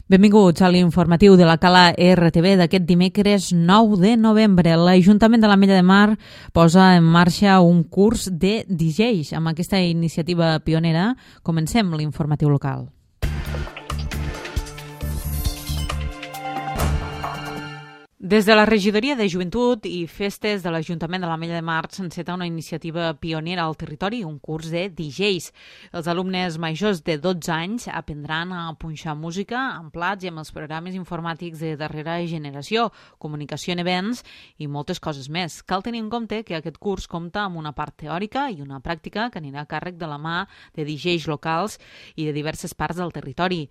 Benvinguts a l'informatiu de la Cala RTV d'aquest dimecres 9 de novembre. L'Ajuntament de l'Ametlla de Mar posa en marxa un curs de DJs. Amb aquesta iniciativa pionera comencem l'informatiu local. Des de la Regidoria de Joventut i Festes de l'Ajuntament de l'Ametlla de Mar s'enceta una iniciativa pionera al territori, un curs de DJs. Els alumnes majors de 12 anys aprendran a punxar música amb plats i amb els programes informàtics de darrera generació, comunicació en events i moltes coses més. Cal tenir en compte que aquest curs compta amb una part teòrica i una pràctica que anirà a càrrec de la mà de DJs locals i de diverses parts del territori.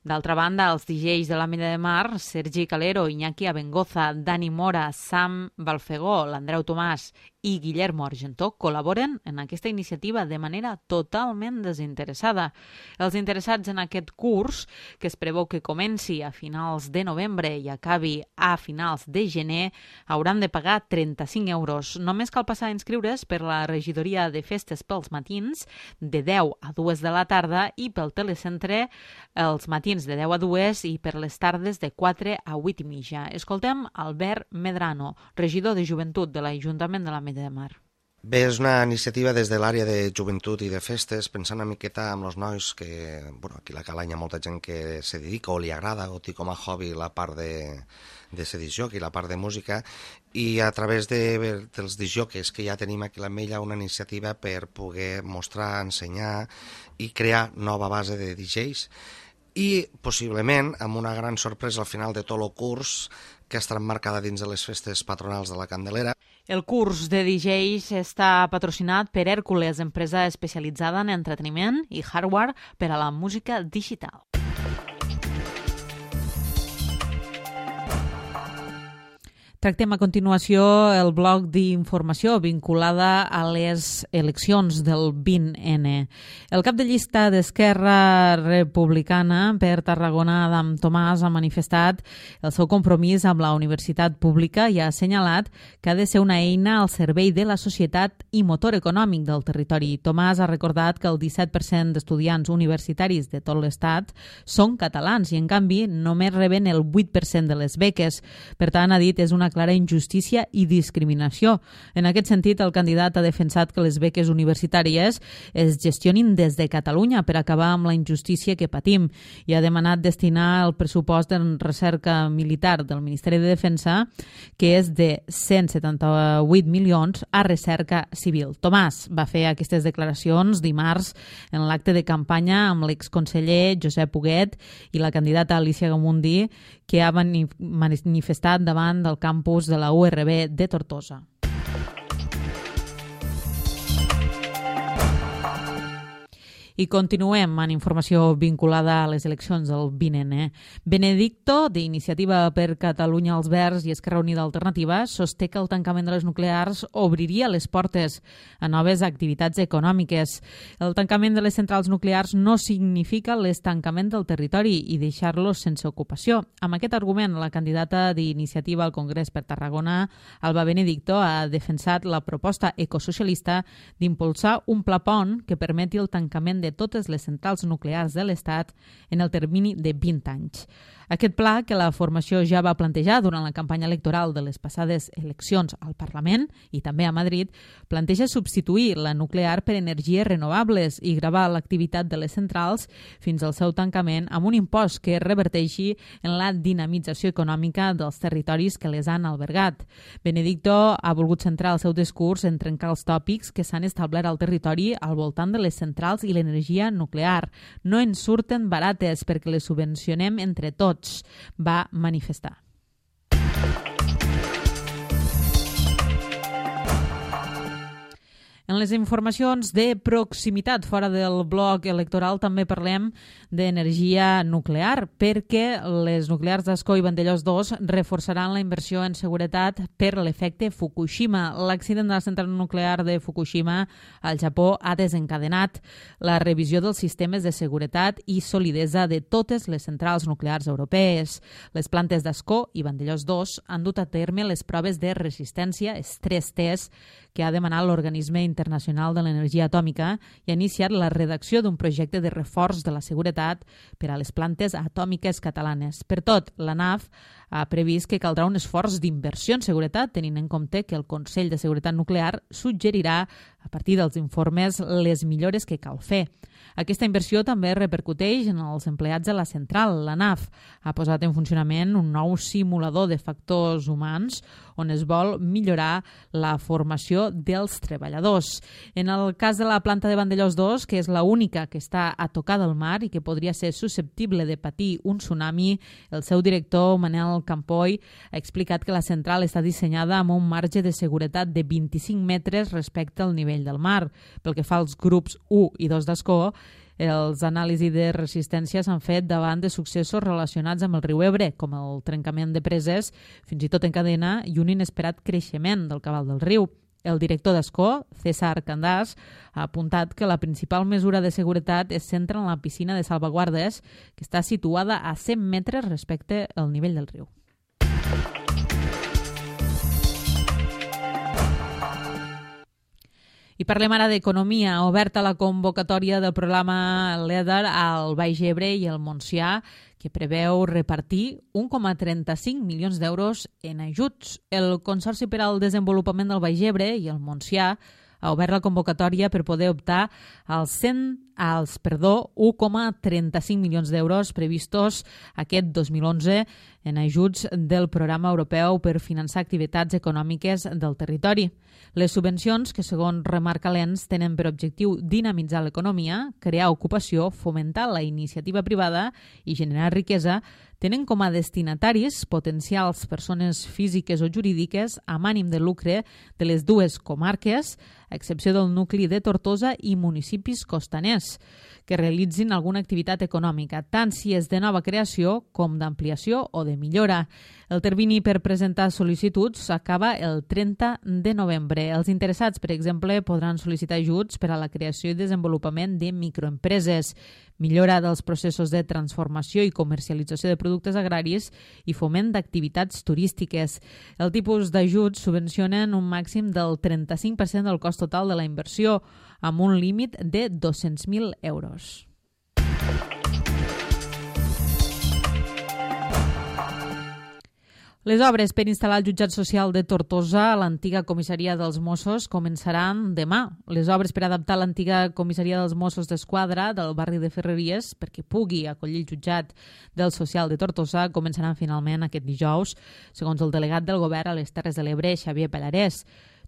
D'altra banda, els DJs de l'Ametlla de Mar, Sergi Calero, Iñaki Abengoza, Dani Mora, Sam Balfegó, l'Andreu Tomàs i Guillermo Argentó col·laboren en aquesta iniciativa de manera totalment desinteressada. Els interessats en aquest curs, que es preveu que comenci a finals de novembre i acabi a finals de gener, hauran de pagar 35 euros. Només cal passar a inscriure's per la Regidoria de Festes pels matins, de 10 a 2 de la tarda, i pel telecentre els matins de 10 a 2 i per les tardes de 4 a 8 i mitja. Escoltem Albert Medrano, regidor de Joventut de l'Ajuntament de l'Ametlla de Mar. Bé, és una iniciativa des de l'àrea de joventut i de festes, pensant una miqueta amb els nois que, aquí a la Cala hi ha molta gent que se dedica o li agrada o té com a hobby la part de ser discjockey, la part de música, i a través dels disjockeys que ja tenim aquí a l'Ametlla una iniciativa per poder mostrar, ensenyar i crear nova base de DJs. I possiblement amb una gran sorpresa al final de tot el curs que estarà emmarcada dins de les festes patronals de la Candelera. El curs de DJs està patrocinat per Hèrcules, empresa especialitzada en entreteniment i hardware per a la música digital. Tractem a continuació el bloc d'informació vinculada a les eleccions del 20N. El cap de llista d'Esquerra Republicana per Tarragona, Adam Tomàs, ha manifestat el seu compromís amb la universitat pública i ha assenyalat que ha de ser una eina al servei de la societat i motor econòmic del territori. Tomàs ha recordat que el 17% d'estudiants universitaris de tot l'estat són catalans i, en canvi, només reben el 8% de les beques. Per tant, ha dit, és una clara injustícia i discriminació. En aquest sentit, el candidat ha defensat que les beques universitàries es gestionin des de Catalunya per acabar amb la injustícia que patim i ha demanat destinar el pressupost en recerca militar del Ministeri de Defensa, que és de 178 milions, a recerca civil. Tomàs va fer aquestes declaracions dimarts en l'acte de campanya amb l'exconseller Josep Huguet i la candidata Alicia Gamundi, que ha manifestat davant del campus de la URB de Tortosa. I continuem amb informació vinculada a les eleccions del 20N. Benedicto, d'Iniciativa per Catalunya als Verds i Esquerra Unida Alternativa, sosté que el tancament de les nuclears obriria les portes a noves activitats econòmiques. El tancament de les centrals nuclears no significa l'estancament del territori i deixar-los sense ocupació. Amb aquest argument, la candidata d'Iniciativa al Congrés per Tarragona, Alba Benedicto, ha defensat la proposta ecosocialista d'impulsar un pla pont que permeti el tancament de totes les centrals nuclears de l'Estat en el termini de 20 anys. Aquest pla, que la formació ja va plantejar durant la campanya electoral de les passades eleccions al Parlament i també a Madrid, planteja substituir la nuclear per energies renovables i gravar l'activitat de les centrals fins al seu tancament amb un impost que reverteixi en la dinamització econòmica dels territoris que les han albergat. Benedicto ha volgut centrar el seu discurs en trencar els tòpics que s'han establert al territori al voltant de les centrals i l'energia nuclear. No ens surten barates perquè les subvencionem entre tots, va manifestar. En les informacions de proximitat fora del bloc electoral també parlem d'energia nuclear, perquè les nuclears d'Ascó i Vandellòs 2 reforçaran la inversió en seguretat per l'efecte Fukushima. L'accident de la central nuclear de Fukushima al Japó ha desencadenat la revisió dels sistemes de seguretat i solidesa de totes les centrals nuclears europees. Les plantes d'Ascó i Vandellòs 2 han dut a terme les proves de resistència, stress test, que ha demanat l'organisme Internacional de l'Energia Atòmica i ha iniciat la redacció d'un projecte de reforç de la seguretat per a les plantes atòmiques catalanes. Per tot, l'ANAF ha previst que caldrà un esforç d'inversió en seguretat, tenint en compte que el Consell de Seguretat Nuclear suggerirà, a partir dels informes, les millores que cal fer. Aquesta inversió també repercuteix en els empleats de la central. L'ANAF ha posat en funcionament un nou simulador de factors humans on es vol millorar la formació dels treballadors. En el cas de la planta de Vandellòs 2, que és l'única que està a tocar del mar i que podria ser susceptible de patir un tsunami, el seu director, Manel Campoy, ha explicat que la central està dissenyada amb un marge de seguretat de 25 metres respecte al nivell del mar. Pel que fa als grups 1 i 2 d'escó, els anàlisis de resistència s'han fet davant de successos relacionats amb el riu Ebre, com el trencament de preses, fins i tot en cadena, i un inesperat creixement del cabal del riu. El director d'Escó, César Candàs, ha apuntat que la principal mesura de seguretat es centra en la piscina de salvaguardes, que està situada a 100 metres respecte al nivell del riu. I parlem ara d'economia. Oberta la convocatòria del programa LEADER al Baix Ebre i el Montsià, que preveu repartir 1,35 milions d'euros en ajuts. El Consorci per al Desenvolupament del Baix Ebre i el Montsià ha obert la convocatòria per poder optar als 1,35 milions d'euros previstos aquest 2011 en ajuts del Programa Europeu per finançar activitats econòmiques del territori. Les subvencions, que segons remarca l'ENS, tenen per objectiu dinamitzar l'economia, crear ocupació, fomentar la iniciativa privada i generar riquesa, tenen com a destinataris potencials persones físiques o jurídiques amb ànim de lucre de les dues comarques, a excepció del nucli de Tortosa i municipis costaners, que realitzin alguna activitat econòmica, tant si és de nova creació com d'ampliació o de millora. El termini per presentar sol·licituds s'acaba el 30 de novembre. Els interessats, per exemple, podran sol·licitar ajuts per a la creació i desenvolupament de microempreses, millora dels processos de transformació i comercialització de productes agraris i foment d'activitats turístiques. El tipus d'ajuts subvencionen un màxim del 35% del cost total de la inversió, amb un límit de 200.000 euros. Les obres per instal·lar el jutjat social de Tortosa a l'antiga comissaria dels Mossos començaran demà. Les obres per adaptar l'antiga comissaria dels Mossos d'Esquadra del barri de Ferreries perquè pugui acollir el jutjat del social de Tortosa començaran finalment aquest dijous, segons el delegat del govern a les Terres de l'Ebre, Xavier Pallarès.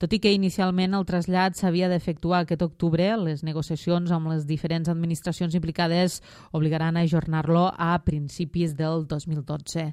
Tot i que inicialment el trasllat s'havia d'efectuar aquest octubre, les negociacions amb les diferents administracions implicades obligaran a ajornar-lo a principis del 2012.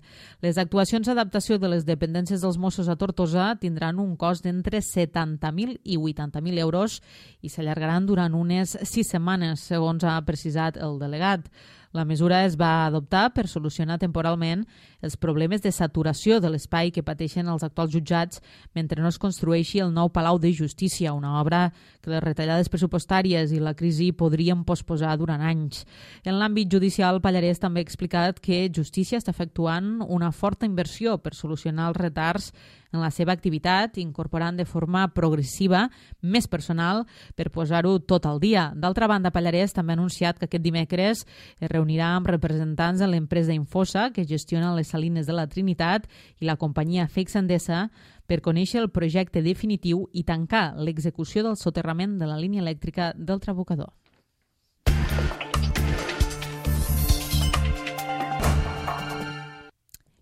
Les actuacions d'adaptació de les dependències dels Mossos a Tortosa tindran un cost d'entre 70.000 i 80.000 euros i s'allargaran durant unes 6 setmanes, segons ha precisat el delegat. La mesura es va adoptar per solucionar temporalment els problemes de saturació de l'espai que pateixen els actuals jutjats mentre no es construeixi el nou Palau de Justícia, una obra que les retallades pressupostàries i la crisi podrien posposar durant anys. En l'àmbit judicial, Pallarès també ha explicat que Justícia està efectuant una forta inversió per solucionar els retards en la seva activitat, incorporant de forma progressiva més personal per posar-ho tot al dia. D'altra banda, Pallarès també ha anunciat que aquest dimecres es reunirà amb representants de l'empresa Infosa, que gestiona les salines de la Trinitat, i la companyia FEX Endesa per conèixer el projecte definitiu i tancar l'execució del soterrament de la línia elèctrica del Trabucador.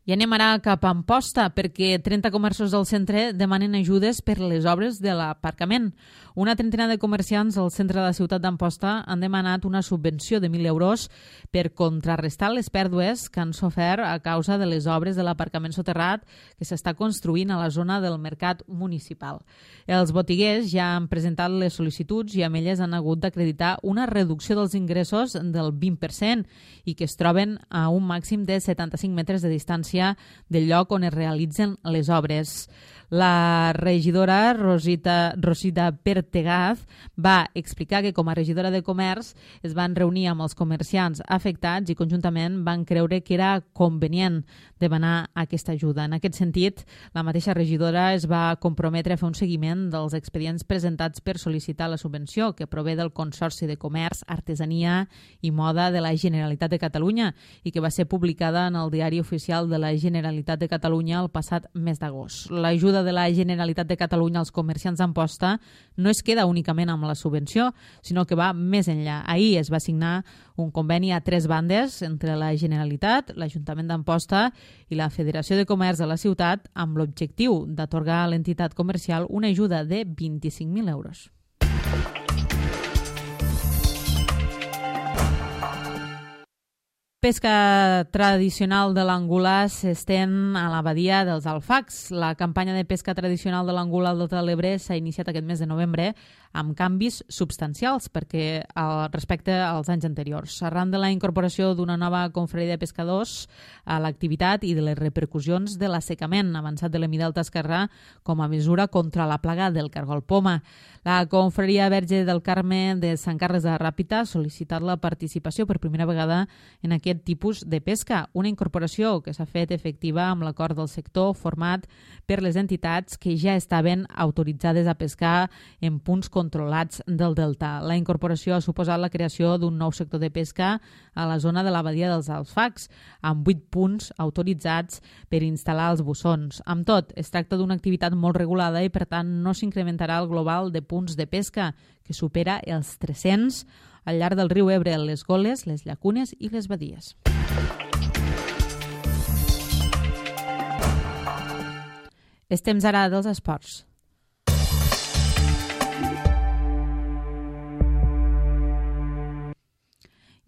I anem ara cap a Amposta, perquè 30 comerços del centre demanen ajudes per les obres de l'aparcament. Una trentena de comerciants al centre de la ciutat d'Amposta han demanat una subvenció de 1.000 euros per contrarrestar les pèrdues que han sofert a causa de les obres de l'aparcament soterrat que s'està construint a la zona del mercat municipal. Els botiguers ja han presentat les sol·licituds i amb elles han hagut d'acreditar una reducció dels ingressos del 20% i que es troben a un màxim de 75 metres de distància distància del lloc on es realitzen les obres. La regidora Rosita Pertegaz va explicar que com a regidora de Comerç es van reunir amb els comerciants afectats i conjuntament van creure que era convenient demanar aquesta ajuda. En aquest sentit, la mateixa regidora es va comprometre a fer un seguiment dels expedients presentats per sol·licitar la subvenció que prové del Consorci de Comerç, Artesania i Moda de la Generalitat de Catalunya i que va ser publicada en el Diari Oficial de la Generalitat de Catalunya el passat mes d'agost. L'ajuda de la Generalitat de Catalunya als comerciants d'Amposta no es queda únicament amb la subvenció, sinó que va més enllà. Ahir es va signar un conveni a 3 bandes entre la Generalitat, l'Ajuntament d'Amposta i la Federació de Comerç de la ciutat amb l'objectiu d'atorgar a l'entitat comercial una ajuda de 25.000 euros. Pesca tradicional de l'angolà s'estén a la badia dels Alfacs. La campanya de pesca tradicional de l'angolà al Delta de l'Ebre s'ha iniciat aquest mes de novembre amb canvis substancials respecte als anys anteriors. Arran de la incorporació d'una nova confraria de pescadors a l'activitat i de les repercussions de l'assecament avançat de l'Emí Delta Esquerrà com a mesura contra la plaga del cargol poma. La confraria Verge del Carme de Sant Carles de la Ràpita ha sol·licitat la participació per primera vegada en aquest tipus de pesca, una incorporació que s'ha fet efectiva amb l'acord del sector format per les entitats que ja estaven autoritzades a pescar en punts controlats del delta. La incorporació ha suposat la creació d'un nou sector de pesca a la zona de la badia dels Alfacs, amb 8 punts autoritzats per instal·lar els bussons. Amb tot, es tracta d'una activitat molt regulada i, per tant, no s'incrementarà el global de punts de pesca, que supera els 300 al llarg del riu Ebre, les goles, les llacunes i les badies. És temps ara dels esports.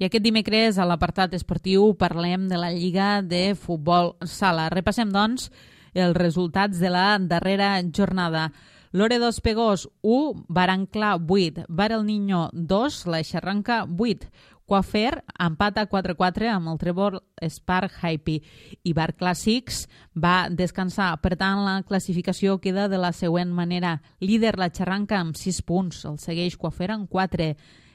I aquest dimecres, a l'apartat esportiu, parlem de la Lliga de Futbol Sala. Repassem, doncs, els resultats de la darrera jornada. Loredo Espegós 1, Barancla 8, Bar El Niño 2, La Xarranca 8, Coafer empata 4-4 amb el Trèvol Spark Happy i Bar Clàssics va descansar. Per tant, la classificació queda de la següent manera. Líder La Xarranca amb 6 punts, el segueix Coafer amb 4.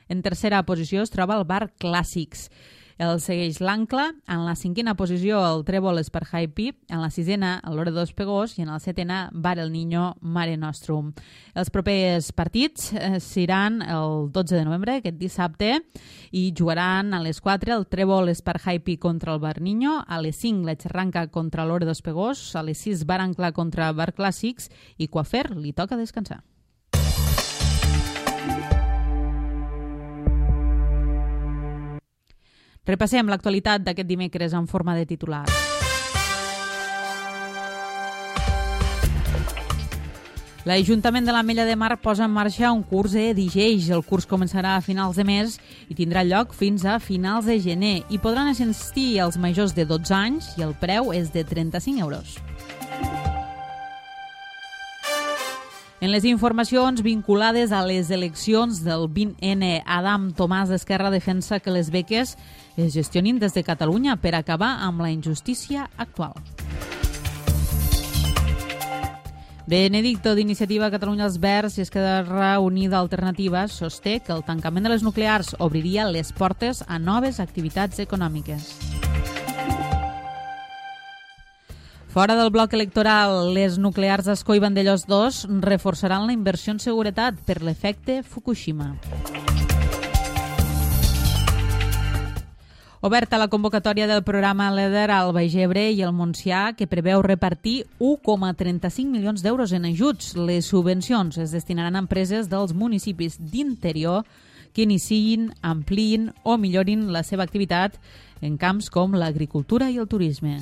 En tercera posició es troba el Bar Clàssics. El segueix l'Ancla, en la 5a posició el Trèvol Spark Happy, en la 6a el Loredo Espegós i en el 7a Bar El Niño Mare Nostrum. Els propers partits seran el 12 de novembre, aquest dissabte, i jugaran a les 4 el Trèvol Spark Happy contra el Bar Niño, a les 5 la Xarranca contra Loredo Espegós, a les 6 Bar Ancla contra Bar Clàssics i Coafer li toca descansar. Repassem l'actualitat d'aquest dimecres en forma de titular. L'Ajuntament de l'Ametlla de Mar posa en marxa un curs d'IGEIX. El curs començarà a finals de mes i tindrà lloc fins a finals de gener. Hi podran assistir els majors de 12 anys i el preu és de 35 euros. En les informacions vinculades a les eleccions del 20N, Adam Tomàs d'Esquerra defensa que les beques es gestionin des de Catalunya per acabar amb la injustícia actual. Benedicto, d'Iniciativa Catalunya Els Verds i Esquerra Unida Alternativa, sosté que el tancament de les nuclears obriria les portes a noves activitats econòmiques. Fora del bloc electoral, les nuclears d'Ascó i Vandellòs 2 reforçaran la inversió en seguretat per l'efecte Fukushima. Oberta la convocatòria del programa LEADER al Baix Ebre i el Montsià, que preveu repartir 1,35 milions d'euros en ajuts. Les subvencions es destinaran a empreses dels municipis d'interior que iniciïn, ampliïn o millorin la seva activitat en camps com l'agricultura i el turisme.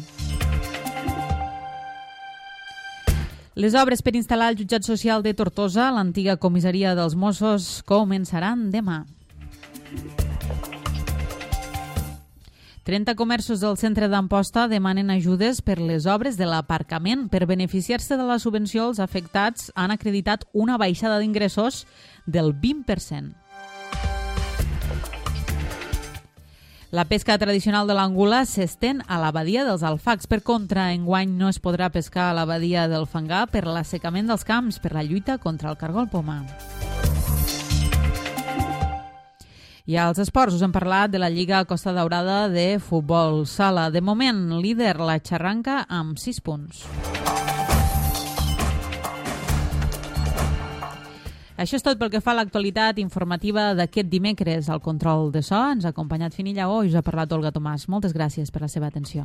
Les obres per instal·lar el jutjat social de Tortosa, l'antiga comissaria dels Mossos, començaran demà. 30 comerços del centre d'Amposta demanen ajudes per les obres de l'aparcament. Per beneficiar-se de la subvenció, els afectats han acreditat una baixada d'ingressos del 20%. La pesca tradicional de l'angula s'estén a la badia dels Alfacs. Per contra, enguany no es podrà pescar a la badia del Fangar per l'assecament dels camps, per la lluita contra el cargol poma. I als esports us hem parlat de la Lliga Costa Daurada de futbol sala. De moment, líder la Xarranca amb 6 punts. Això és tot pel que fa a l'actualitat informativa d'aquest dimecres. Al control de so ens ha acompanyat Fini Lleó i us ha parlat Olga Tomàs. Moltes gràcies per la seva atenció.